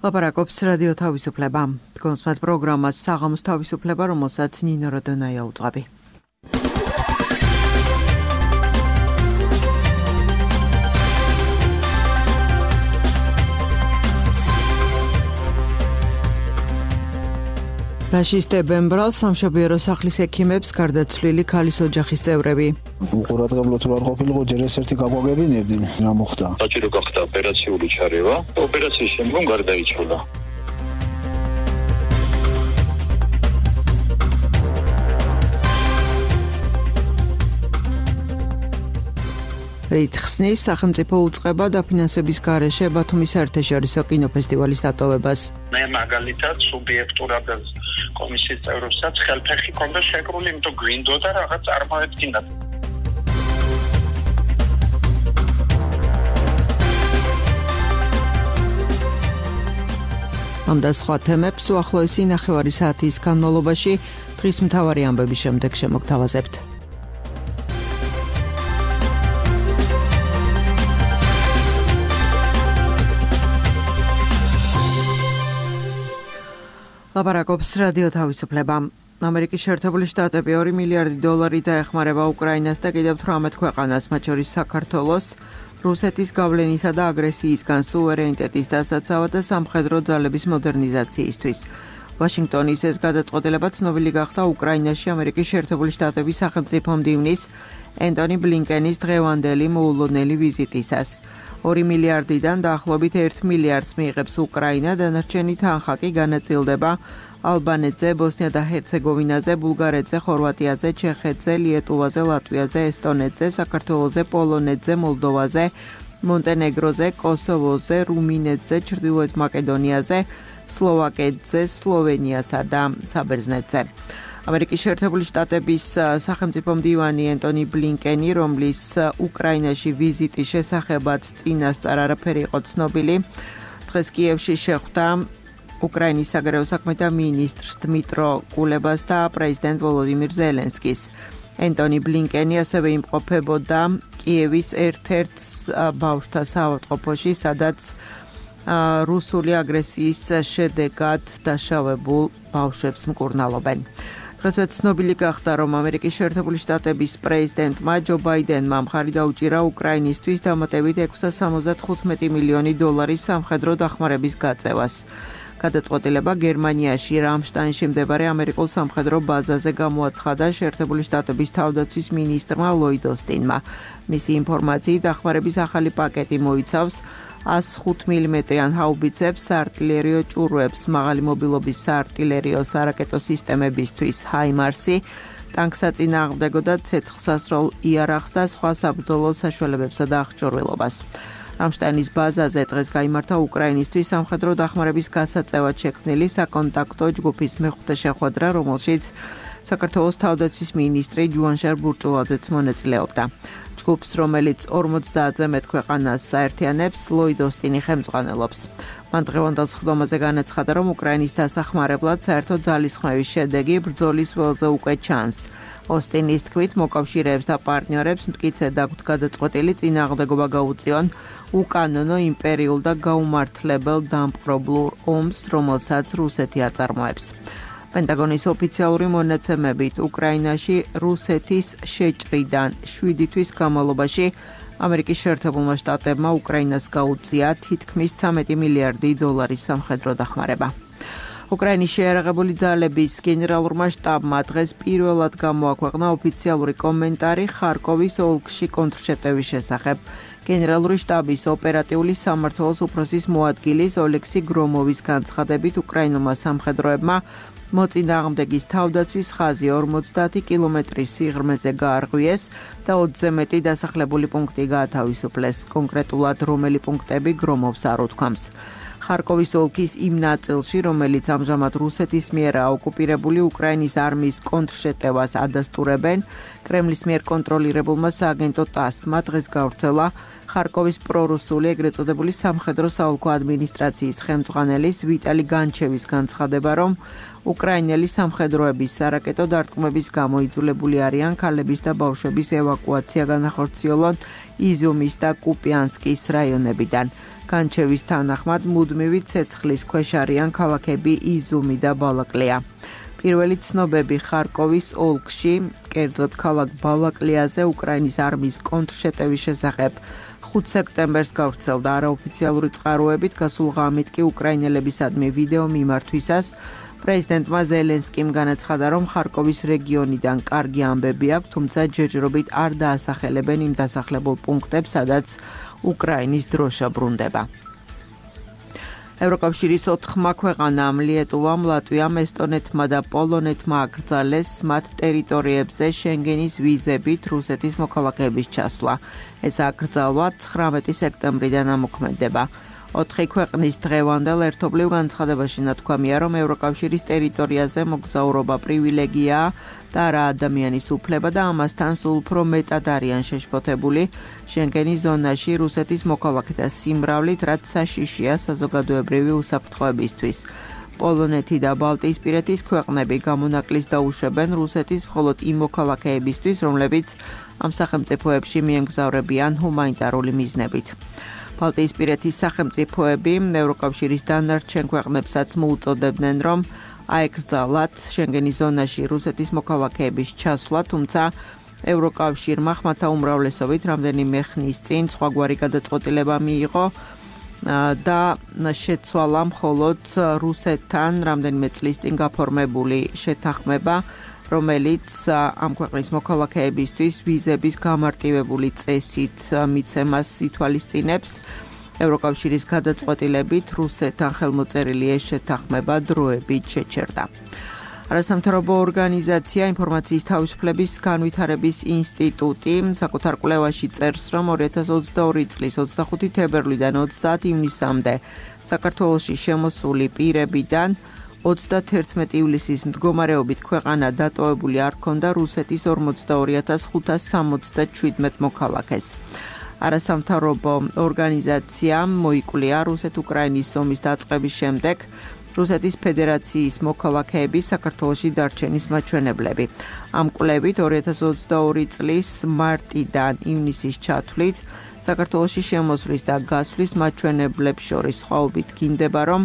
ლაპარაკობს რადიო თავისუფლება. კონსმეთ პროგრამას საღამოს თავისუფლება, რომელსაც ნინო როდონაია უძღვები. რაშისტებენ ბრალს სამშობიარო სახლის ექიმებს გარდაცვლილი ქალის ოჯახის წევრები. უყურადღებლო თუ არ ყოფილიყო ჯერ ერთ-ერთი გაგვაგებინებდნენ, რა მოხდა? საჭირო გახდა ოპერაციული ჩარევა. ოპერაციის შემდგომ გარდაიცვალა. რითხსნის სახელმწიფო უწყება დაფინანსების გარეშე ბათუმის საერთაშორისო კინოფესტივალის დატოვებას. მე მაგალითად სუბიექტურად კომისიის წევრებსაც ხელფეხი ქონდა შეკრული, იმიტომ გვინდოდა რაღაც წარმოედგინათ. ამ და სხვა თემებს უახლოესი 9 საათის განმავლობაში დღის მთავარი ამბების შემდეგ შემოგთავაზებთ. ლაპარაკობს რადიო თავისუფლება. ამერიკის შეერთებული შტატები $2 მილიარდი დაეხმარება უკრაინას და კიდევ 18 ქვეყანას, მათ შორის საქართველოს, რუსეთის გავლენისა და აგრესიისგან სუვერენიტეტის დასაცავად და სამხედრო ძალების მოდერნიზაციისთვის. ვაშინგტონის ეს გადაწყვეტილება ცნობილი გახდა უკრაინაში ამერიკის შეერთებული შტატების სახელმწიფო მდივნის ენტონი ბლინკენის დღევანდელი მოულოდნელი ვიზიტისას. 2 მილიარდიდან დაახლოებით 1 მილიარდს მიიღებს უკრაინა, დანარჩენი თანხა კი განაწილდება ალბანეთზე, ბოსნია და ჰერცეგოვინაზე, ბულგარეთზე, ხორვატიაზე, ჩეხეთზე, ლიეტუვაზე, ლატვიაზე, ესტონეთზე, საქართველოზე, პოლონეთზე, მოლდოვაზე, მონტენეგროზე, კოსოვოზე, რუმინეთზე, ჩრდილოეთ მაკედონიაზე, სლოვაკეთზე, სლოვენიასა და საბერძნეთზე. ამერიკის შეერთებული შტატების სახელმწიფო მდივანი ენტონი ბლინკენი, რომლის უკრაინაში ვიზიტის შესახებაც წინასწარ არაფერი იყო ცნობილი, დღეს კიევში შეხვდა უკრაინის საგარეო საქმეთა მინისტრს დმიტრო კულებას და პრეზიდენტ ვოლოდიმირ ზელენსკის. ენტონი ბლინკენი ასევე იმყოფებოდა კიევის ერთ-ერთ ბავშვთა საავადმყოფოში, სადაც რუსული აგრესიის შედეგად დაშავებულ ბავშვებს მკურნალობენ. დღესვე ცნობილი გახდა, რომ ამერიკის შეერთებული შტატების პრეზიდენტმა ჯო ბაიდენმა მხარი დაუჭირა უკრაინისთვის დამატებით $675 მილიონი სამხედრო დახმარების გაწევას. გადაწყვეტილება გერმანიაში რამშტაინში მდებარე ამერიკულ სამხედრო ბაზაზე გამოაცხადა შეერთებული შტატების თავდაცვის მინისტრმა ლოიდ ოსტინმა. მისი ინფორმაციით, დახმარების ახალი პაკეტი მოიცავს 105 მმ-იან ჰაუბიცებს, საარტილერიო ჭურვებს, მაღალი მობილობის საარტილერიო სარაკეტო სისტემებისთვის ჰაიმარსი, ტანკსაწინააღმდეგო და ცეცხლსასროლ იარაღს და სხვა საბრძოლო საშუალებებსა და აღჭურვილობას. რამშტაინის ბაზაზე დღეს გაიმართა უკრაინისთვის სამხედრო დახმარების გასაწევად შექმნილი საკონტაქტო ჯგუფის მეხუთე შეხვედრა, რომელშიც საქართველოს თავდაცვის მინისტრი ჯუანშარ ბურჭულაძეც მონაწილეობდა. ჯგუფს, რომელიც 50-ზე მეტ ქვეყანას საერთიანებს, ლოიდ ოსტინი ხელმძღვანელობს. მან დღევანდელ სხდომაზე განაცხადა, რომ უკრაინის დასახმარებლად საერთო ძალისხმევის შედეგი ბრძოლის ველზე უკვე ჩანს. ოსტინის თქმით, მოკავშირეებს და პარტნიორებს მტკიცედ აქვთ გადაწყვეტილი წინააღმდეგობა გაუწიონ უკანონო იმპერიულ და გაუმართლებელ დამპყრობლურ ომს, რომელსაც რუსეთი აწარმოებს. პენტაგონის ოფიციალური მონაცემებით, უკრაინაში რუსეთის შეჭრიდან 7 თვის განმავლობაში ამერიკის შეერთებულმა შტატებმა უკრაინას გაუწია თითქმის $13 მილიარდი სამხედრო დახმარება. უკრაინის შეიარაღებული ძალების გენერალურმა შტაბმა დღეს პირველად გამოაქვეყნა ოფიციალური კომენტარი ხარკოვის ოლქში კონტრშეტევის შესახებ. გენერალური შტაბის ოპერატიული სამმართველოს უფროსის მოადგილის ოლექსი გრომოვის განცხადებით, უკრაინულმა სამხედროებმა მოწინააღმდეგის თავდაცვის ხაზი 50 კილომეტრის სიღრმეზე გაარღვიეს და 20-ზე მეტი დასახლებული პუნქტი გაათავისუფლეს. კონკრეტულად რომელი პუნქტები გრომოვს არ უთქვამს. ხარკოვის ოლქის იმ ნაწილში, რომელიც ამჟამად რუსეთის მიერ ოკუპირებული უკრაინის არმიის კონტრშეტევას ადასტურებენ, კრემლის მიერ კონტროლირებულმა სააგენტო ტასმა დღეს გავრცელა ხარკოვის პრორუსული ეგრეთ წოდებული სამხედრო საოლქო ადმინისტრაციის ხელმძღვანელის ვიტალი განჩევის განცხადება, რომ უკრაინელი სამხედროების სარაკეტო დარტყმების გამო იძულებული არიან ქალების და ბავშვების ევაკუაცია განახორციელონ იზიუმის და კუპიანსკის რაიონებიდან. განჩევის თანახმად მუდმივი ცეცხლის ქვეშ არიან ქალაქები იზუმი და ბალაკლია. პირველი ცნობები ხარკოვის ოლქში, კერძოდ ქალაქ ბალაკლიაზე უკრაინის არმიის კონტრშეტევის შესახებ 5 სექტემბერს გავრცელდა არაოფიციალური წყაროებით, გასულ ღამით კი უკრაინელებისადმი ვიდეო მიმართვისას პრეზიდენტმა ზელენსკიმ განაცხადა, რომ ხარკოვის რეგიონიდან კარგი ამბები აქვს, თუმცა ჯერჯერობით არ დაასახელებენ იმ დასახლებულ პუნქტებს, სადაც უკრაინის დროშა ბრუნდება. ევროკავშირის 4 ქვეყანამ ლიეტუვამ, ლატვიამ, ესტონეთმა და პოლონეთმა აკრძალეს მათ ტერიტორიებზე შენგენის ვიზებით რუსეთის მოქალაქეების ჩასვლა. ეს აკრძალვა 19 სექტემბრიდან ამოქმედება. 4 ქვეყნის დღევანდელ ერთობლივ განცხადებაში ნათქვამია, რომ ევროკავშირის ტერიტორიაზე მოგზაურობა პრივილეგიაა და არა ადამიანის უფლება და ამასთან სულ უფრო მეტად არიან შეშფოთებული შენგენის ზონაში რუსეთის მოქალაქეთა სიმრავლით, რაც საშიშია საზოგადოებრივი უსაფრთხოებისთვის. პოლონეთი და ბალტიისპირეთის ქვეყნები გამონაკლისს დაუშვებენ რუსეთის მხოლოდ იმ მოქალაქეებისთვის, რომლებიც ამ სახელმწიფოებში მიემგზავრებიან ჰუმანიტარული მიზნებით. ბალტიისპირეთის სახელმწიფოები ევროკავშირის დანარჩენ ქვეყნებსაც მოუწოდებდნენ, რომ აეკრძალათ შენგენის ზონაში რუსეთის მოქალაქეების ჩასვლა, თუმცა ევროკავშირმა ხმათა უმრავლესობით რამდენიმე ხნის წინ სხვაგვარი გადაწყვეტილება მიიღო და შეცვალა მხოლოდ რუსეთთან რამდენიმე წლის წინ გაფორმებული შეთანხმება, რომელიც ამ ქვეყნის მოქალაქეებისთვის ვიზების გამარტივებული წესით მიცემას ითვალისწინებს. ევროკავშირის გადაწყვეტილებით რუსეთთან ხელმოწერილი ეს შეთანხმება დროებით შეჩერდა. არასამთავრობო ორგანიზაცია ინფორმაციის თავისუფლების განვითარების ინსტიტუტი საკუთარ კვლევაში წერს, რომ 2022 წლის 25 თებერვლიდან 30 ივნისამდე საქართველოში შემოსული პირებიდან 31 ივლისის მდგომარეობით ქვეყანა დატოვებული არ ჰქონდა რუსეთის 42567 მოქალაქეს. არასამთავრობო ორგანიზაციამ მოიკვლია რუსეთ-უკრაინის ომის დაწყების შემდეგ რუსეთის ფედერაციის მოქალაქეების საქართველოში დარჩენის მაჩვენებლები. ამ კვლევით 2022 წლის მარტიდან ივნისის ჩათვლით საქართველოში შემოსვლის და გასვლის მაჩვენებლებს შორის სხვაობით გინდება, რომ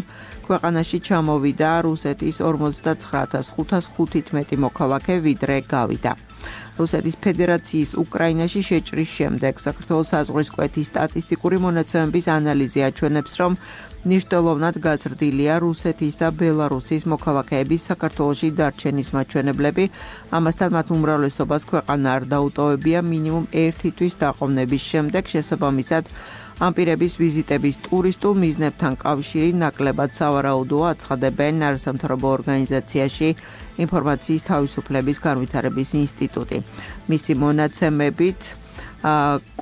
ქვეყანაში ჩამოვიდა რუსეთის 59515 მოქალაქე, ვიდრე გავიდა. რუსეთის ფედერაციის უკრაინაში შეჭრის შემდეგ საქართველოს საზღვრის კვეთის სტატისტიკური მონაცემების ანალიზი აჩვენებს, რომ მნიშვნელოვნად გაზრდილია რუსეთის და ბელარუსის მოქალაქეების საქართველოში დარჩენის მაჩვენებლები, ამასთან მათ უმრავლესობას ქვეყანა არ დაუტოვებია მინიმუმ 1 თვის დაყოვნების შემდეგ, შესაბამისად ამ პირების ვიზიტების ტურისტულ მიზნებთან კავშირი ნაკლებად სავარაუდოა, აცხადებენ არასამთავრობო ორგანიზაციაში ინფორმაციის თავისუფლების განვითარების ინსტიტუტი. მისი მონაცემებით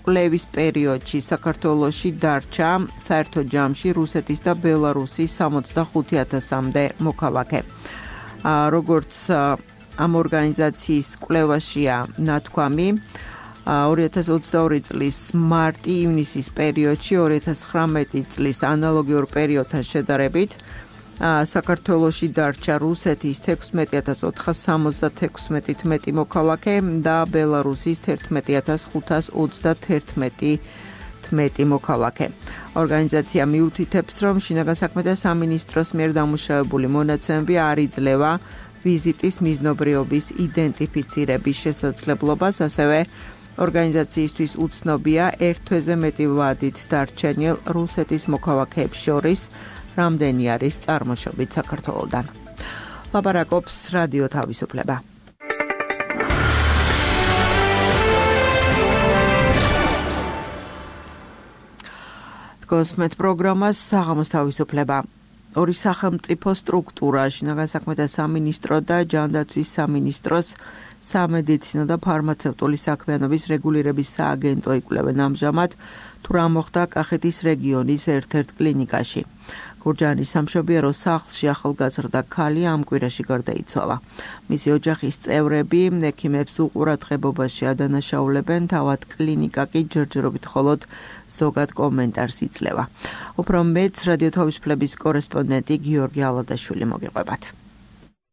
კვლევის პერიოდში საქართველოში დარჩა საერთო ჯამში რუსეთის და ბელარუსის 65000-მდე მოქალაქე. როგორც ამ ორგანიზაციის კვლევაშია ნათქვამი, 2022 წლის მარტი-ივნისის პერიოდში 2019 წლის ანალოგიურ პერიოდთან შედარებით საქართველოში დარჩა რუსეთის 16476 მეტი მოქალაქე და ბელარუსის 11531 მოქალაქე. ორგანიზაცია მიუთითებს, რომ შინაგან საქმეთა სამინისტროს მიერ დამუშავებული მონაცემები არ იძლევა ვიზიტის მიზნობრიობის იდენტიფიცირების შესაძლებლობას, ასევე ორგანიზაციისთვის უცნობია ერთ თვეზე მეტი ვადით დარჩენილ რუსეთის მოქალაქეებს შორის რამდენი არის წარმოშობით საქართველოდან. ლაპარაკობს რადიო თავისუფლება. კოსმეთ პროგრამას საღამოს თავისუფლება. ორი სახელმწიფო სტრუქტურა, შინაგან საქმეთა სამინისტრო და ჯანდაცვის სამინისტროს სამედიცინო და ფარმაცევტული საქმიანობის რეგულირების სააგენტო იკვლევენ ამჟამად, თუ რა მოხდა კახეთის რეგიონის ერთ-ერთ კლინიკაში. გურჯაანის სამშობიარო სახლში ახალგაზრდა ქალი ამ კვირაში გარდაიცვალა. მისი ოჯახის წევრები ექიმებს უყურადღებობაში ადანაშაულებენ, თავად კლინიკა კი ჯერჯერობით მხოლოდ ზოგად კომენტარს იძლევა. უფრო მეტს რადიო თავისუფლების კორესპონდენტი გიორგი ალადაშვილი მოგიყვებათ.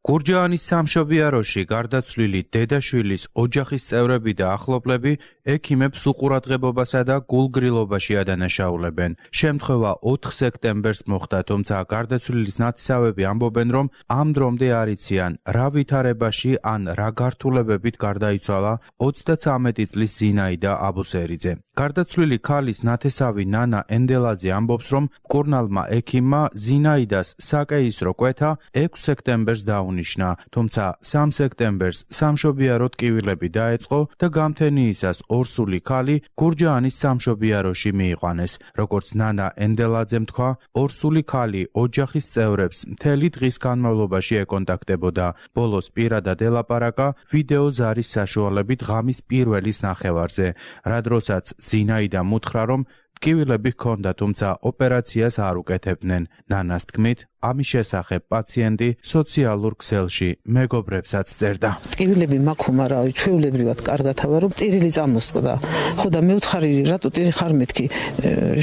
გურჯაანის სამშობიაროში გარდაცვლილი დედაშვილის ოჯახის წევრები და ახლობლები ექიმებს უყურადღებობასა და გულგრილობაში ადანაშაულებენ. შემთხვევა 4 სექტემბერს მოხდა, თუმცა გარდაცვლილის ნათესავები ამბობენ, რომ ამ დრომდე არ იციან, რა ვითარებაში ან რა გართულებებით გარდაიცვალა 33 წლის ზინაიდა აბუსერიძე. გარდაცვლილი ქალის ნათესავი ნანა ენდელაძე ამბობს, რომ მკურნალმა ექიმმა ზინაიდას საკეისრო კვეთა 6 სექტემბერს დაუნიშნა, თუმცა 3 სექტემბერს სამშობიარო ტკივილები დაეწყო და გამთენიისას ორსული ქალი გურჯაანის სამშობიაროში მიიყვანეს. როგორც ნანა ენდელაძემ თქვა, ორსული ქალი ოჯახის წევრებს მთელი დღის განმავლობაში ეკონტაქტებოდა. ბოლოს პირადად ელაპარაკა ვიდეო ზარის საშუალებით ღამის პირველის ნახევარზე, რა დროსაც ზინაიდამ უთხრა, რომ ტკივილები ჰქონდა, თუმცა ოპერაციას არ უკეთებდნენ. ნანას თქმით, ამის შესახებ პაციენტი სოციალურ ქსელში მეგობრებსაც წერდა. ტკივილები მაქვს, მაგრამ ჩვეულებრივად კარგად ავარ, რომ ტირილი წამოსყდა. ხო და მე უთხარი, რატო ტირი ხარ მეთქი?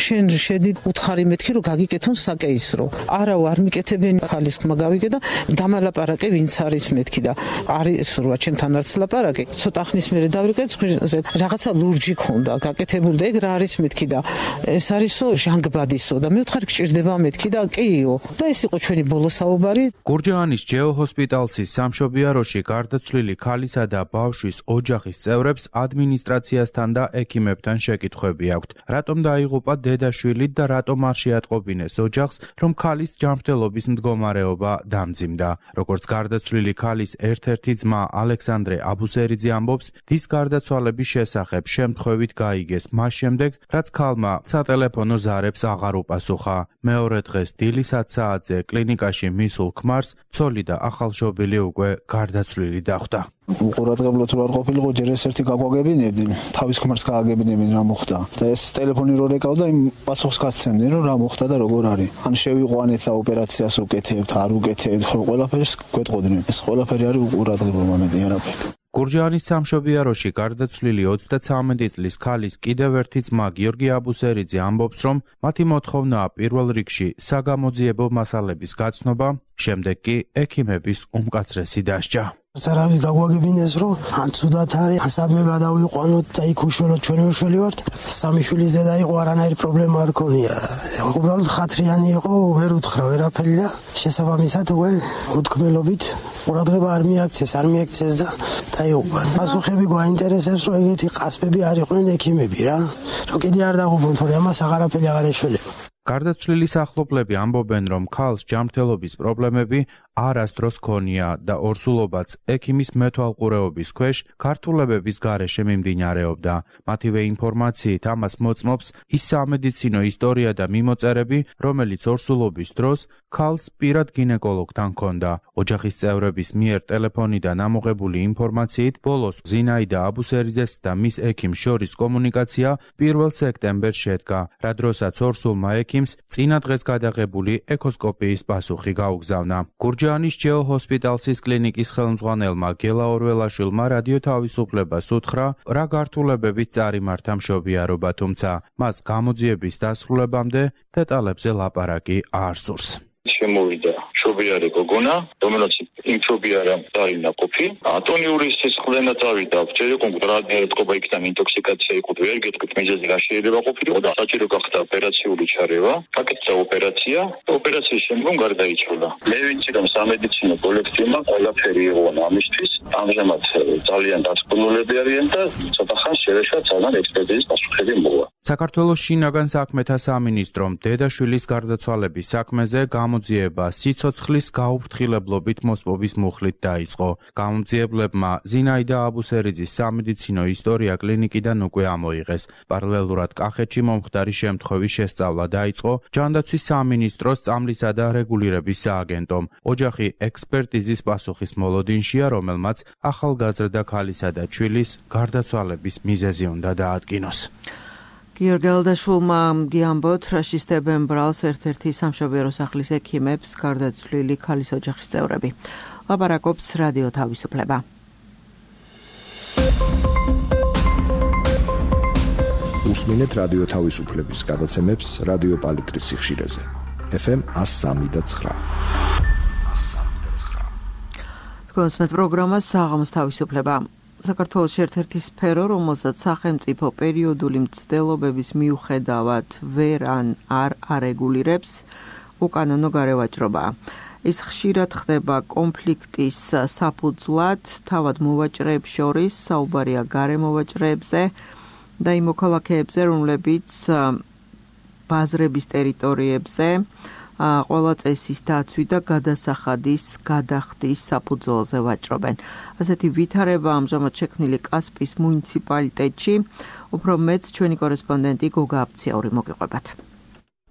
შენ შედი უთხარი მეთქი, რომ გაგიკეთონ საკეისრო. არა, არ მიკეთებენ, ხალის ხმა გავიგე და დამალაპარაკე, ვინც არის მეთქი და არის როა ჩემთან არც ლაპარაკე. ცოტა ხნის მერე დავრიკე, რაღაცა ლურჯი ქონდა, გაკეთებული და ეგ რა არის მეთქი და ეს არისო ჟანგბადისო და მე უთხარი გჭირდება მეთქი და კიო და ეს იყო ჩვენი ბოლო საუბარი. გურჯაანის ჯეო ჰოსპიტალსის სამშობიაროში გარდაცვლილი ქალისა და ბავშვის ოჯახის წევრებს ადმინისტრაციასთან და ექიმებთან შეკითხვები აქვთ. რატომ დაიღუპა დედაშვილი და რატომ არ შეატყობინეს ოჯახს, რომ ქალის ჯანმრთელობის მდგომარეობა დამძიმდა. როგორც გარდაცვლილი ქალის ერთ-ერთი ძმა ალექსანდრე აბუსერიძე ამბობს, დის გარდაცვალების შესახებ შემთხვევით გაიგეს მას შემდეგ, რაც ქალმა სატელეფონო ზარებს აღარ უპასუხა. მეორე დღეს დილის 10 საათზე კლინიკაში მისულ ქმარს ცოლი და ახალშობილი უკვე გარდაცვლილი დახვდა. უყურადღებლო თუ არ ყოფილიყო, ჯერ ეს ერთი გაგვაგებინებდნენ, თავის ქმარს გააგებინებდნენ რა მოხდა. და ეს ტელეფონი რო რეკავდა, იმ პასუხს გასცემდნენ, რომ რა მოხდა და როგორ არის. ან შევიყვანეთ და ოპერაციას უკეთებთ, არ უკეთებთ, ხო ყველაფერს გვეტყოდნენ. ეს ყველაფერი არის უყურადღებლო მომენტი არაფერი. გურჯაანის სამშობიაროში გარდაცვლილი 33 წლის ქალის კიდევ ერთი ძმა გიორგი აბუსერიძე ამბობს, რომ მათი მოთხოვნაა პირველ რიგში საგამოძიებო მასალების გაცნობა, შემდეგ კი ექიმების უმკაცრესი დასჯა. სარავის გაგვაგებინეს, რომ ან ცუდად არის, ან სადმე გადავიყვანოთ და იქ უშველოთ, ჩვენ უშველი ვართ. სამი შვილის დედა იყო, არანაირი პრობლემა არ ქონია. უბრალოდ ხათრიანი იყო, ვერ უთხრა ვერაფერი და შესაბამისად უკვე უთქმელობით ყურადღება არ მიაქცეს და დაიღუპა. პასუხები გვაინტერესებს, რომ ეგეთი ყასპები არ იყვნენ ექიმები რა. რომ კიდე არ დაღუპონ, თორე ამას აღარაფერი აღარ ეშველება. გარდაცვლილის ახლობლები ამბობენ, რომ ქალს ჯანმრთელობის პრობლემები არასდროს ქონია და ორსულობაც ექიმის მეთვალყურეობის ქვეშ ქართულებების გარეშე მიმდინარეობდა. მათივე ინფორმაციით ამას მოწმობს ის სამედიცინო ისტორია და მიმოწერები, რომელიც ორსულობის დროს ქალს პირად გინეკოლოგთან ჰქონდა. ოჯახის წევრების მიერ ტელეფონიდან ამოღებული ინფორმაციით, ბოლოს ზინაიდა აბუსერიძეს და მის ექიმს შორის კომუნიკაცია 1 სექტემბერს შედგა, რა დროსაც ორსულმა ექიმს წინა დღეს გადაღებული ეკოსკოპიის პასუხი გაუგზავნა. გურჯაანის ჯეო ჰოსპიტალსის კლინიკის ხელმძღვანელმა გელა ორველაშვილმა რადიო თავისუფლებას უთხრა, რა გართულებებით წარიმართა მშობიარობა, თუმცა მას გამოძიების დასრულებამდე დეტალებზე ლაპარაკი არ სურს. შემოვიდა მშობიარე გოგონა, რომელიც იმ მშობიარამ დაინა ყოფი. ატონიური სისხლდენა წავიდა, ჯერ კონკრეტულად ეთყობა იქიდან ინტოქსიკაცია იყო, ვერ გეტყვით მიზეზი რა შეიძლება ყოფილიყო და საჭირო გახდა ოპერაციული ჩარევა. აკეთდა ოპერაცია და ოპერაციის შემდგომ გარდაიცვალა. მე ვიცი, რომ სამედიცინო კოლექტივმა ყველაფერი იყო ამისთვის. ამჟამად ძალიან დაწკვნულები არიან და ცოტა ხანს შევეშვა ძალიან ექსპერტიზის პასუხები მოვა. საქართველოს შინაგან საქმეთა სამინისტრომ დედაშვილის გარდაცვალების საქმეზე გამოძიება სიცოცხლის გაუფრთხილებლობით მოსპობის მუხლით დაიწყო. გამოძიებლებმა ზინაიდა აბუსერიძის სამედიცინო ისტორია კლინიკიდან უკვე ამოიღეს. პარალელურად კახეთში მომხდარი შემთხვევის შესწავლა დაიწყო ჯანდაცვის სამინისტროს წამლისა და რეგულირების სააგენტომ. ოჯახი ექსპერტიზის პასუხის მოლოდინშია, რომელმაც ახალგაზრდა ქალისა და ჩვილის გარდაცვალების მიზეზი უნდა დაადგინოს. გიორგი ალდაშვილმა გიამბოთ, რა შისტებენ ბრალს ერთ-ერთი სამშობიარო სახლის ექიმებს გარდაცვლილი ქალის ოჯახის წევრები. ლაპარაკობს რადიო თავისუფლება. უსმინეთ რადიო თავისუფლების გადაცემებს რადიო პალიტრის სიხშირეზე. FM 103.9. გოსმეთ პროგრამას საღამოს თავისუფლება. საქართველოს ერთ-ერთი სფერო, რომელსაც სახელმწიფო პერიოდული მცდელობების მიუხედავად ვერ არ არეგულირებს, უკანონო გარევაჭრობაა. ის ხშირად ხდება კონფლიქტის საფუძვლად, თავად მოვაჭრეებს შორის, საუბარია გარემოვაჭრეებზე და იმ მოქალაქეებზე, რომლებიც ბაზრების ტერიტორიებზე ყველა წესის დაცვი და გადასახადის გადახდის საფუძველზე ვაჭრობენ. ასეთი ვითარება ამჟამად შექმნილი კასპის მუნიციპალიტეტში, უფრო მეც ჩვენი კორესპონდენტი გოგა აფციაური მოგიყვებათ.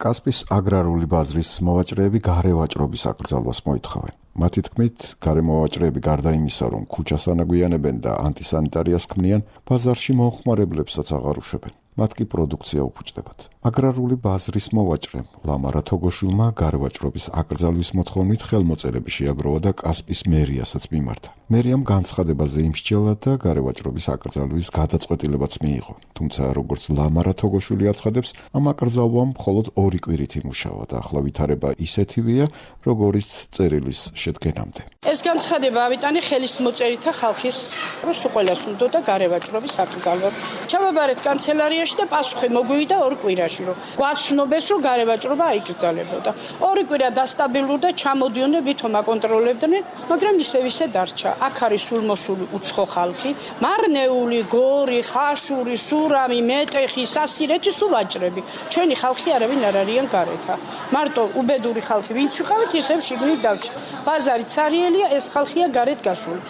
კასპის აგრარული ბაზრის მოვაჭრეები გარევაჭრობის აკრძალვას მოითხოვენ. მათი თქმით, გარემოვაჭრეები გარდა იმისა, რომ ქუჩას ანაგვიანებენ და ანტისანიტარიას ქმნიან, ბაზარში მომხმარებლებსაც აღარ უშვებენ. მათ კი პროდუქცია უფუჭდებათ. აგრარული ბაზრის მოვაჭრემ ლამარა თოგოშვილმა გარევაჭრობის აკრძალვის მოთხოვნით ხელმოწერები შეაგროვა და კასპის მერიასაც მიმართა. მერიამ განცხადებაზე იმსჯელა და გარევაჭრობის აკრძალვის გადაწყვეტილებაც მიიღო. თუმცა როგორც ლამარა თოგოშვილი აცხადებს, ამ აკრძალვამ მხოლოდ 2 კვირით იმუშავა და ახლა ვითარება ისეთივეა, როგორიც წერილის შედგენამდე. ეს განცხადება ავიტანი ხელის მოწერითა ხალხის დროს ყველას უნდა გარევაჭრობის აკრძალვა. ჩავაბარეთ კანცელარიაში და პასუხი მოგვივიდა 2 კვირაში, რომ გვაცნობეს, რომ გარევაჭრობა აიკრძალებოდა. 2 კვირა დასტაბილურდა, ჩამოდიოდნენ, ვითომ აკონტროლებდნენ, მაგრამ ისე დარჩა. აქ არის სულმოსული უცხო ხალხი, მარნეული, გორი, ხაშური, სურამი, მეტეხი, სასირეთი სუვაჭრები. ჩვენი ხალხი არავინ არ არიან გარეთა. მარტო უბედური ხალხი, ვინც ვიყავით, ისევ შიგნით დავჭა. ბაზარი ცარიელია, ეს ხალხია გარეთ გასული.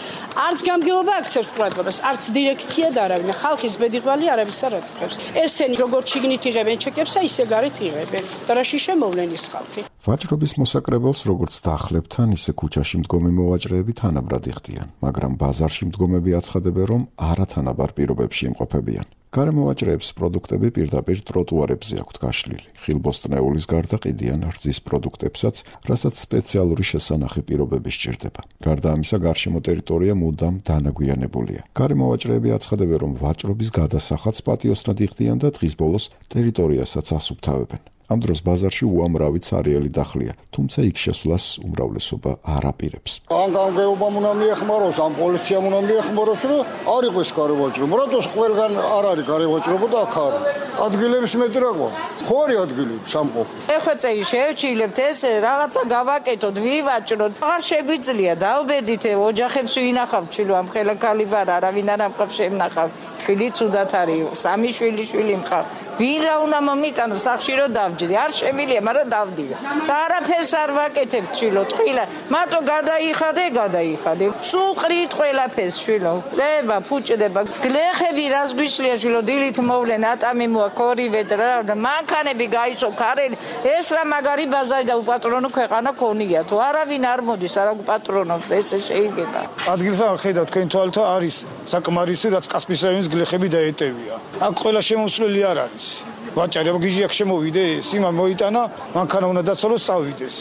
არც გამგეობა აქცევს ყურადღებას, არც დირექცია და არავინ. ხალხის ბედიღვალი არავის არ აწუხებს. ესენი როგორც შიგნით იღებენ ჩეკებსა, ისე გარეთ იღებენ. და რაში შემოვლენ ის ხალხი. ვაჭრობის მოსაკრებელს როგორც დახლებთან, ისე ქუჩაში მდგომი მოვაჭრეები თანაბრად იხდიან, მაგრამ ბაზარში მდგომები აცხადებენ, რომ არათანაბარ პირობებში იმყოფებიან. გარემოვაჭრეებს პროდუქტები პირდაპირ ტროტუარებზე აქვთ გაშლილი. ხილბოსტნეულის გარდა ყიდიან რძის პროდუქტებსაც, რასაც სპეციალური შესანახი პირობები სჭირდება. გარდა ამისა, გარშემო ტერიტორია მუდამ დანაგვიანებულია. გარემოვაჭრეები აცხადებენ, რომ ვაჭრობის გადასახადს პატიოსნად იხდიან და დღის ბოლოს ტერიტორიასაც ასუფთავებენ. ამ დროს ბაზარში უამრავი ცარიელი დახლია, თუმცა იქ შესვლას უმრავლესობა არ აპირებს. ან გამგეობამ უნდა მიეხმაროს, ან პოლიციამ უნდა მიეხმაროს, რომ არ იყოს გარევაჭრობა. რატოს ყველგან არ არის გარევაჭრობა და აქ არის. ადგილების მეტი რა ყვა? ხო არის ადგილი სამყო. ეხვეწეი შევჩილებთ ეს რაღაცა გავაკეთოთ, ვივაჭროთ. აღარ შეგვიძლია დავბედით ოჯახებს ვინახავთ, ჩილო ამ ხელა კალიბარ არავინ არ ამყავს შემნახავ. შვილი ცუდად არის, 3 შვილი მყავს. ვინ რა უნდა მომიტანო სახში რომ დავჯდი, არ შემილია, მაგრამ დავდია. და არაფერს არ ვაკეთებ ჩილო, ტყილა, მარტო გადაიხადე. სუყრით ყველაფერს შვილო. დება, ფუჭდება. გლეხები რას გვიშლია შვილო, დილით მოვლენ, ატამი მოაქვს ორივე და მანქანები გაიცო ქარელი. ეს რა მაგარი ბაზარი და უპატრონო ქვეყანა ქონია. თუ არავინ არ მოდის, არა უპატრონობს, ესე შეიძლება. ადგილსა ხედავ თქვენ თვალთ არის საკმარისი, რაც კასპის რაიონის გლეხები დაეტევია. აქ ყველა შემოსვლელი არ არის. ვაჭარი გიჟი აქ შემოვიდეს, იმა მოიტანა, მანქანა უნდა დაცოლოს, წავიდეს.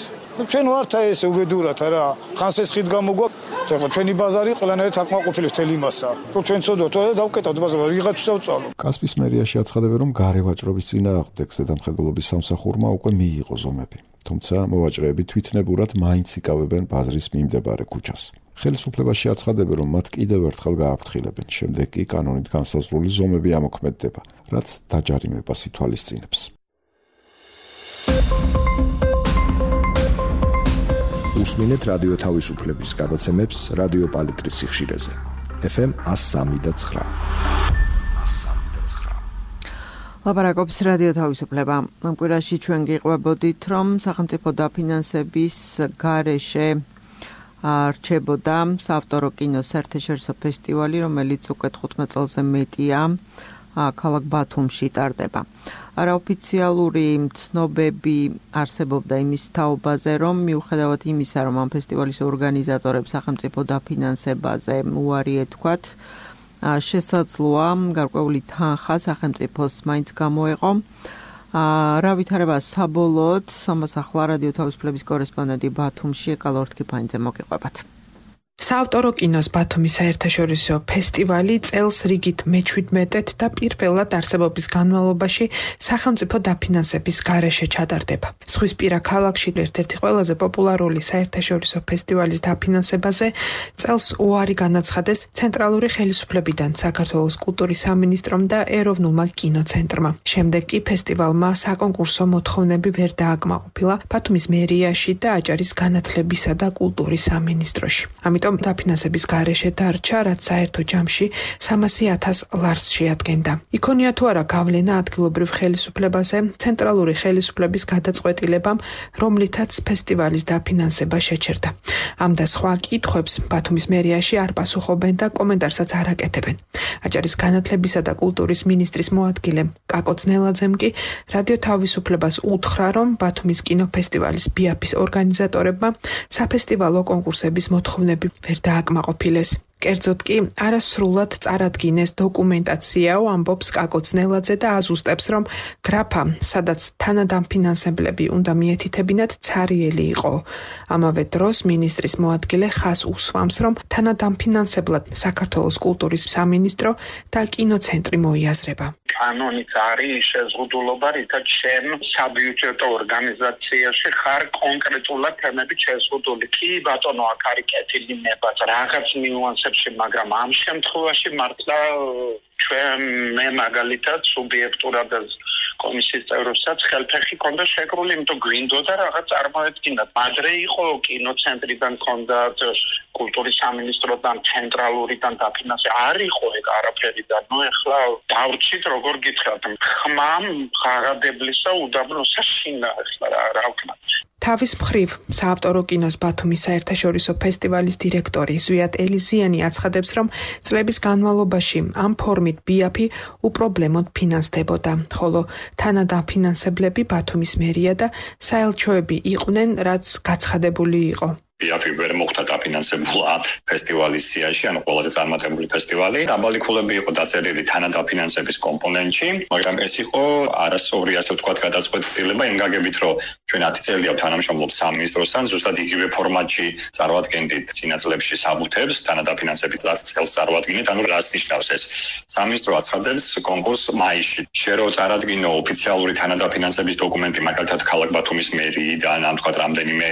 ჩვენ ვართ ესე უბედურად რა. ხანს ეს ხით გამოგვაქვს, ეხლა ჩვენი ბაზარი ყველანაირად აკმაყოფილებს თელ იმასა. რომ ჩვენ ცოდოთ და დავკეტავთ ბაზარი, ვიღაც ვსავწალო. კასპის მერიაში აცხადებენ, რომ გარევაჭრობის წინააღმდეგ ზედამხედველობის სამსახურმა უკვე მიიღო ზომები. თუმცა მოვაჭრეები თვითნებურად მაინც იკავებენ ბაზრის მიმდებარე ქუჩას. ხელისუფლებაში აცხადებენ, რომ მათ კიდევ ერთხელ გააფრთხილებენ, შემდეგ კი კანონით განსაზღვრული ზომები ამოქმედდება, რაც დაჯარიმებას ითვალისწინებს. უსმინეთ რადიო თავისუფლების გადაცემებს რადიო პალიტრის სიხშირეზე. FM 103.9. ლაპარაკობს რადიო თავისუფლება. ამ კვირაში ჩვენ გიყვებოდით, რომ სახელმწიფო დაფინანსების გარეშე რჩებოდა საავტორო კინოს საერთაშორისო ფესტივალი, რომელიც უკვე 15 წელზე მეტია ქალაქ ბათუმში ტარდება. არაოფიციალური ცნობები არსებობდა იმის თაობაზე, რომ მიუხედავად იმისა, რომ ამ ფესტივალის ორგანიზატორებს სახელმწიფო დაფინანსებაზე უარი ეთქვათ, შესაძლოა გარკვეული თანხა სახელმწიფოს მაინც გამოეყო. რა ვითარება საბოლოოდ, ამას ახლა რადიო თავისუფლების კორესპონდენტი ბათუმში ეკალორთქიფანიძე მოგიყვებათ. საავტორო კინოს ბათუმის საერთაშორისო ფესტივალი წელს რიგით მე-17 და პირველად არსებობის განმავლობაში სახელმწიფო დაფინანსების გარეშე ჩატარდება. ზღვისპირა ქალაქში ერთ-ერთი ყველაზე პოპულარული საერთაშორისო ფესტივალის დაფინანსებაზე წელს უარი განაცხადეს ცენტრალური ხელისუფლებიდან საქართველოს კულტურის სამინისტრომ და ეროვნულმა კინოცენტრმა. შემდეგ კი ფესტივალმა საკონკურსო მოთხოვნები ვერ დააკმაყოფილა ბათუმის მერიაში და აჭარის განათლებისა და კულტურის სამინისტროში. ამიტომ დაფინანსების გარეშე დარჩა, რაც საერთო ჯამში 300,000 ლარს შეადგენდა. იქონია თუ არა გავლენა ადგილობრივ ხელისუფლებაზე, ცენტრალური ხელისუფლების გადაწყვეტილებამ, რომლითაც ფესტივალის დაფინანსება შეჩერდა. ამ და სხვა კითხვებს ბათუმის მერიაში არ პასუხობენ და კომენტარსაც არ აკეთებენ. აჭარის განათლებისა და კულტურის მინისტრის მოადგილე კაკო ძნელაძემ კი რადიო თავისუფლებას უთხრა, რომ ბათუმის კინოფესტივალის BIAF-ის ორგანიზატორებმა საფესტივალო კონკურსების მოთხოვნები ვერ დააკმაყოფილეს. კერძოდ კი არასრულად წარადგინეს დოკუმენტაციაო, ამბობს კაკო ძნელაძე და აზუსტებს, რომ გრაფა, სადაც თანადამფინანსებლები უნდა მიეთითებინათ, ცარიელი იყო. ამავე დროს მინისტრის მოადგილე ხაზს უსვამს, რომ თანადამფინანსებლად საქართველოს კულტურის სამინისტრო და კინოცენტრი მოიაზრება. კანონიც არის შეზღუდულობა, რითაც შენ საბიუჯეტო ორგანიზაციაში ხარ კონკრეტულად თემებით შეზღუდული. კი ბატონო, აქ არის კეთილი ნება რაღაც ნიუანსებში, მაგრამ ამ შემთხვევაში მართლა მე მაგალითად სუბიექტურად კომისიის წევრებსაც ხელფეხი ქონდა შეკრული, იმიტომ გვინდოდა რაღაც წარმოედგინათ. ადრე იყო კინოცენტრიდან ქონდათ, კულტურის სამინისტროდან, ცენტრალურიდან დაფინანსება. არ იყო ეგ არაფერი და ნუ ეხლა დავრჩით როგორ გითხრათ. ხმამ ღაღადებლისა უდაბნოსა შინა ეხლა რა ვქნა. თავის მხრივ საავტორო კინოს ბათუმის საერთაშორისო ფესტივალის დირექტორი ზვიად ელიზიანი აცხადებს, რომ წლების განმავლობაში ამ ფორმით BIAF-ი უპრობლემოდ ფინანსდებოდა, ხოლო თანადამფინანსებლები ბათუმის მერია და საელჩოები იყვნენ, რაც გაცხადებული იყო. BIAF-ი ვერ მოხდა დაფინანსებულად ფესტივალის სიაში, ანუ ყველაზე წარმატებული ფესტივალი. დაბალი ქულები იყო დაწერილი თანადაფინანსების კომპონენტში, მაგრამ ეს იყო არასწორი, ასე ვთქვათ, გადაწყვეტილება იმ გაგებით, რომ ჩვენ 10 წელია თანამშრომლობთ სამინისტროსთან, ზუსტად იგივე ფორმატში წარვადგენდით წინა წლებში საბუთებს, თანადაფინანსებით რაც წელს წარვადგინეთ, ანუ რას ნიშნავს ეს? სამინისტრო აცხადებს კონკურსს მაისში. შენ რო წარადგინო ოფიციალური თანადაფინანსების დოკუმენტი, მაგალითად ქალაქ ბათუმის მერიიდან, ან თქვათ რამდენიმე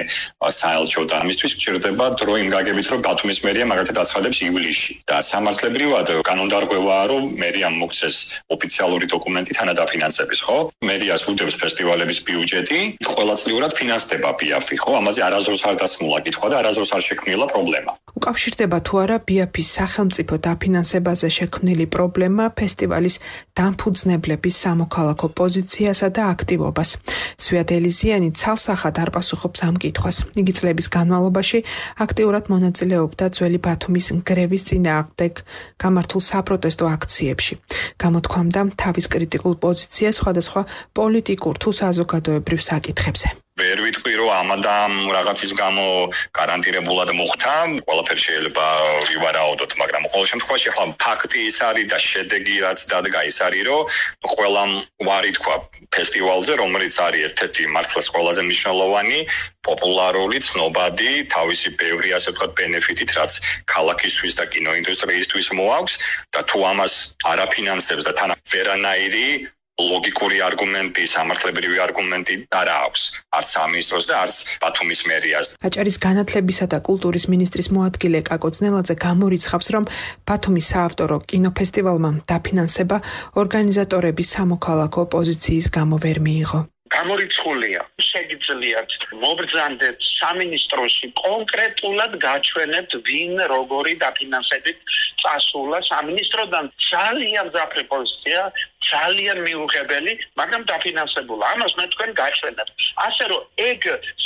საელჩო და ამისთვის გჭირდება დრო იმ გაგებით, რომ ბათუმის მერია მაგალითად აცხადებს ივლისში. და სამართლებრივად კანონდარღვევაა, რომ მერიამ მოგცეს ოფიციალური დოკუმენტი თანადაფინანსების, ხო? მერიას უდევს ფესტივალების ბიუჯეტი, ყოველწლიურად ფინანსდება BIAF-ი, ხო? ამაზე არასდროს არ დასმულა კითხვა და არასდროს არ შექმნილა პრობლემა. უკავშირდება თუ არა BIAF-ის სახელმწიფო დაფინანსებაზე შექმნილი პრობლემა ფესტივალის დამფუძნებლების სამოქალაქო პოზიციასა და აქტივობას. ზვიად ელიზიანი ცალსახად არ პასუხობს ამ კითხვას. იგი წლების განმავლობაში აქტიურად მონაწილეობდა ძველი ბათუმის გრევის წინააღმდეგ გამართულ საპროტესტო აქციებში. გამოთქვამდა თავის კრიტიკულ პოზიციას სხვადასხვა პოლიტიკურ თუ საზოგადოებრივ საკითხებზე. ვერ ვიტყვი, რომ ამადამ რაღაცის გამო გარანტირებულად მოხდა, ყველაფერი შეიძლება ვივარაუდოთ, მაგრამ ყოველ შემთხვევაში ახლა ფაქტი ის არის და შედეგი რაც დადგა ის არის, რომ ყველამ უარი თქვა ფესტივალზე, რომელიც არის ერთ-ერთი მართლაც ყველაზე მნიშვნელოვანი, პოპულარული, ცნობადი, თავისი ბევრი ასე ვთქვათ ბენეფიტით, რაც ქალაქისთვის და კინოინდუსტრიისთვის მოაქვს და თუ ამას არაფინანსებს და თან ვერანაირი ლოგიკური არგუმენტი, სამართლებრივი არგუმენტი არ აქვს, არც სამინისტროს და არც ბათუმის მერიას. აჭარის განათლებისა და კულტურის მინისტრის მოადგილე კაკო ძნელაძე გამორიცხავს, რომ ბათუმის საავტორო კინოფესტივალმა დაფინანსება ორგანიზატორების სამოქალაქო პოზიციის გამო ვერ მიიღო. გამორიცხულია. შეგიძლიათ მობრძანდეთ სამინისტროში კონკრეტულად გაჩვენებთ ვინ როგორი დაფინანსებით წასულა სამინისტროდან. ძალიან მძაფრი პოზიცია, ძალიან მიუღებელი, მაგრამ დაფინანსებულა. ამას მე თქვენ გაჩვენებთ. ასე რომ ეგ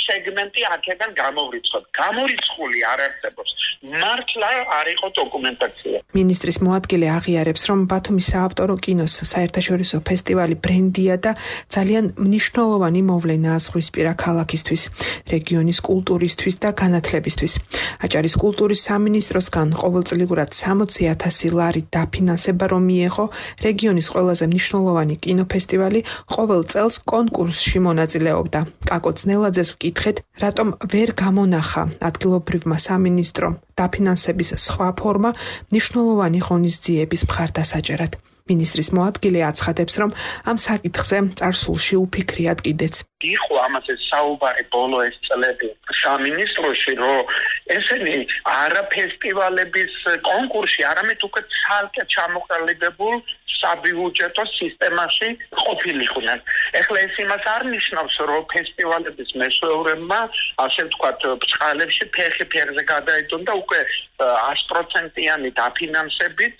სეგმენტი აქედან გამოვრიცხოთ. გამორიცხული არ არსებობს. მართლა არ იყო დოკუმენტაცია. მინისტრის მოადგილე აღიარებს, რომ ბათუმის საავტორო კინოს საერთაშორისო ფესტივალი ბრენდია და ძალიან მნიშვნელოვანი მოვლენაა ზღვისპირა ქალაქისთვის. რეგიონის კულტურისთვის და განათლებისთვის. აჭარის კულტურის სამინისტროსგან ყოველწლიურად 60,000 ლარი დაფინანსება რომ მიეღო რეგიონის ყველაზე მნიშვნელოვანი კინოფესტივალი ყოველ წელს კონკურსში მონაწილეობდა. კაკო ძნელაძეს ვკითხეთ, რატომ ვერ გამონახა ადგილობრივმა სამინისტრომ დაფინანსების სხვა ფორმა მნიშვნელოვანი ღონისძიების მხარდასაჭერად. მინისტრის მოადგილე აცხადებს, რომ ამ საკითხზე წარსულში უფიქრიათ კიდეც. იყო ამაზე საუბარი ბოლო ეს წლები სამინისტროში, რომ ესენი არა ფესტივალების კონკურსში, არამედ უკვე ცალკე ჩამოყალიბებულ საბიუჯეტო სისტემაში ყოფილიყვნენ. ეხლა ეს იმას არ ნიშნავს, რომ ფესტივალების მესვეურებმა, ასე ვთქვათ, ბწყალებში ფეხი ფეხზე გადაიდონ და უკვე 100%-იანი დაფინანსებით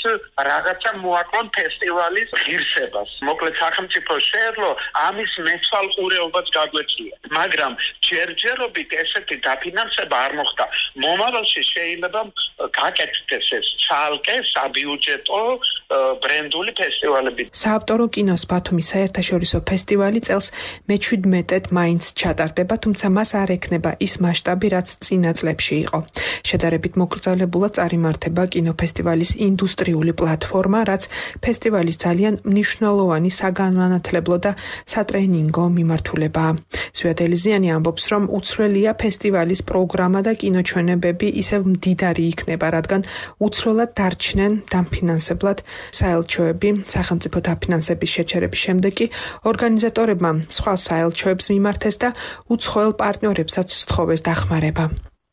რაღაცა მოაკლონ ფესტივალის ღირსებას. მოკლედ სახელმწიფო შეეძლო ამის მეცვალყურეობას გაგვეცია. მაგრამ ჯერჯერობით ესეთი დაფინანსება არ მოხდა. მომავალში შეიძლება გაკეთდეს ეს ცალკე საბიუჯეტო ბრენდული ფესტივალები. საავტორო კინოს ბათუმის საერთაშორისო ფესტივალი წელს მე-17-ად მაინც ჩატარდება, თუმცა მას არ ექნება ის მასშტაბი, რაც წინა წლებში იყო. შედარებით მოკრძალებულად წარიმართება კინოფესტივალის ინდუსტრიული პლატფორმა, რაც ფესტივალის ძალიან მნიშვნელოვანი საგანმანათლებლო და სატრენინგო მიმართულებაა. ზვიად ელიზიანი ამბობს, რომ უცვლელია ფესტივალის პროგრამა და კინოჩვენებები ისევ მდიდარი იქნება, რადგან უცვლელად დარჩნენ დამფინანსებლად საელჩოები. სახელმწიფო დაფინანსების შეჩერების შემდეგ კი ორგანიზატორებმა სხვა საელჩოებს მიმართეს და უცხოელ პარტნიორებსაც სთხოვეს დახმარება.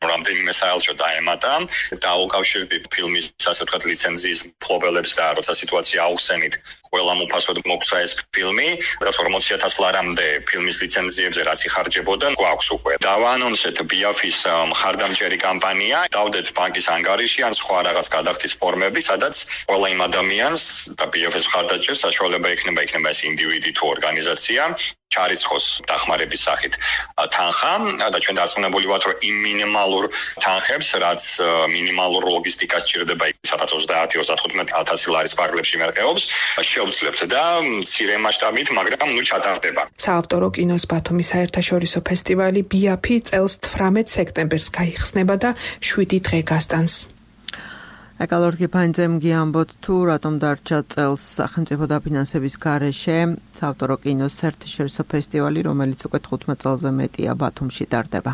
რამდენიმე საელჩო დაემატა და უკავშირდით ფილმის ასე ვთქვათ ლიცენზიის მფლობელებს და როცა სიტუაცია აუხსენით ყველა მოფასოდ მოგცა ეს ფილმი და 40,000 ლარამდე ფილმის ლიცენზიებზე რაც იხარჯებოდა გვაქვს უკვე. დავაანონსეთ BIAF-ის მხარდამჭერი კამპანია, დავდეთ ბანკის ანგარიში ან სხვა რაღაც გადახდის ფორმები, სადაც ყველა იმ ადამიანს და BIAF-ის მხარდაჭერს საშუალება ექნება ეს ინდივიდი თუ ორგანიზაცია ჩარიცხოს დახმარების სახით თანხა და ჩვენ დარწმუნებული ვართ, რომ იმ მინიმალურ თანხებს, რაც მინიმალურ ლოგისტიკას ჭირდება 30-35,000 ლარის პარკლებში მერყეობს, შევძლებთ და მცირე მასშტაბით, მაგრამ ჩატარდება. საავტორო კინოს ბათუმის საერთაშორისო ფესტივალი BIAF-ი წელს 18 სექტემბერს გაიხსნება და 7 დღე გასტანს. ეკალორგი ფანძემგი ამბობთ თუ რატომ დარჩა წელს სახელმწიფო დაფინანსების გარეშე საავტორო კინოს საერთაშორისო ფესტივალი, რომელიც უკვე 15 წელზე მეტია ბათუმში ტარდება.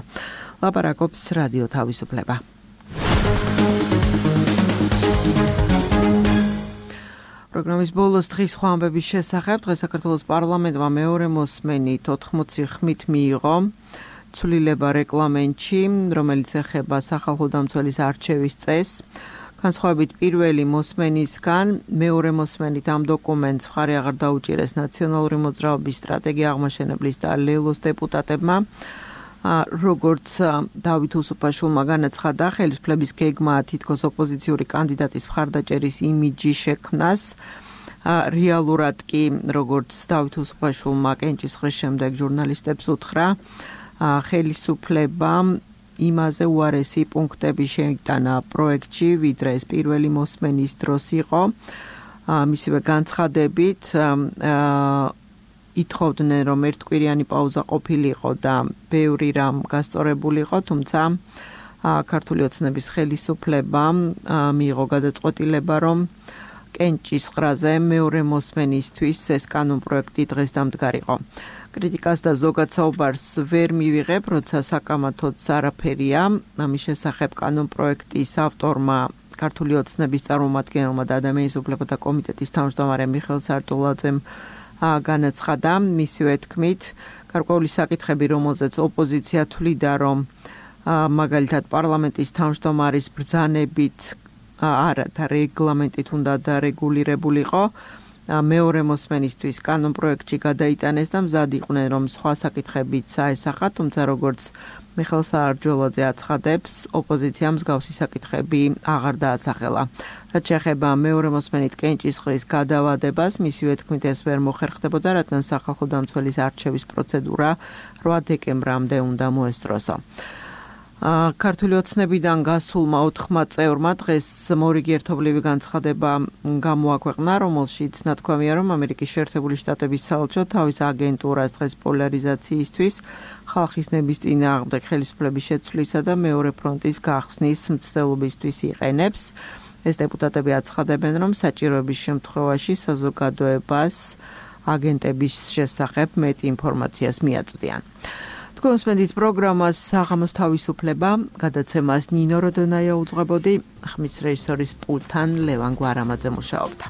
ლაპარაკობს რადიო თავისუფლება. პროგრამის ბოლოს დღის სხვა ამბების შესახებ დღეს საქართველოს პარლამენტმა მეორე მოსმენით 80 ხმით მიიღო ცვლილება რეგლამენტში, რომელიც ეხება სახალხო დამცველის არჩევის წესს. განსხვავებით პირველი მოსმენისგან, მეორე მოსმენით ამ დოკუმენტს მხარი აღარ დაუჭირეს ნაციონალური მოძრაობის სტრატეგია აღმაშენებლის და ლელოს დეპუტატებმა. როგორც დავით უსუფაშვილმა განაცხადა, ხელისუფლების გეგმა თითქოს ოპოზიციური კანდიდატის მხარდაჭერის იმიჯი შექმნას. რეალურად კი, როგორც დავით უსუფაშვილმა კენჭისყრის შემდეგ ჟურნალისტებს უთხრა, ხელისუფლება იმაზე უარესი პუნქტები შეიტანა პროექტში, ვიდრე ეს პირველი მოსმენის დროს იყო. მისივე განცხადებით ითხოვდნენ, რომ ერთკვირიანი პაუზა ყოფილიყო და ბევრი რამ გასწორებულიყო, თუმცა ქართული ოცნების ხელისუფლებამ მიიღო გადაწყვეტილება, რომ კენჭისყრაზე მეორე მოსმენისთვის ეს კანონპროექტი დღეს დამდგარიყო. კრიტიკას და ზოგად საუბარს ვერ მივიღებ, როცა საკამათოც არაფერია. ამის შესახებ კანონპროექტის ავტორმა ქართული ოცნების წარმომადგენელმა და ადამიანის უფლებათა კომიტეტის თავმჯდომარე მიხეილ სარდულაძემ განაცხადა, მისივე თქმით, გარკვეული საკითხები, რომელზეც ოპოზიცია თვლიდა, რომ მაგალითად პარლამენტის თავმჯდომარის ბრძანებით არა და რეგლამენტით უნდა დარეგულირებულიყო, მეორე მოსმენისთვის კანონპროექტში გადაიტანეს და მზად იყვნენ, რომ სხვა საკითხებიც აესახათ, თუმცა როგორც მიხეილ სარდულაძე აცხადებს, ოპოზიციამ მსგავსი საკითხები აღარ დაასახელა. რაც შეეხება მეორე მოსმენით კენჭისყრის გადავადებას, მისივე თქმით ეს ვერ მოხერხდებოდა, რადგან სახალხო დამცველის არჩევის პროცედურა 8 დეკემბრამდე უნდა მოესწროსო. ქართული ოცნებიდან გასულმა 4 წევრმა დღეს მორიგი ერთობლივი განცხადება გამოაქვეყნა, რომელშიც ნათქვამია, რომ ამერიკის შეერთებული შტატების საელჩო თავის აგენტურას დღეს პოლარიზაციისთვის, ხალხის ნების წინააღმდეგ ხელისუფლების შეცვლისა და მეორე ფრონტის გახსნის მცდელობისთვის იყენებს. ეს დეპუტატები აცხადებენ, რომ საჭიროების შემთხვევაში საზოგადოებას აგენტების შესახებ მეტი ინფორმაციას მიაწვდიან. თქვენს მედით პროგრამას საღამოს თავისუფლება, გადაცემას ნინო როდონაია უძღვებოდი, ხმის რეჟისორის პულტთან ლევან გვარამაძე მუშაობდა.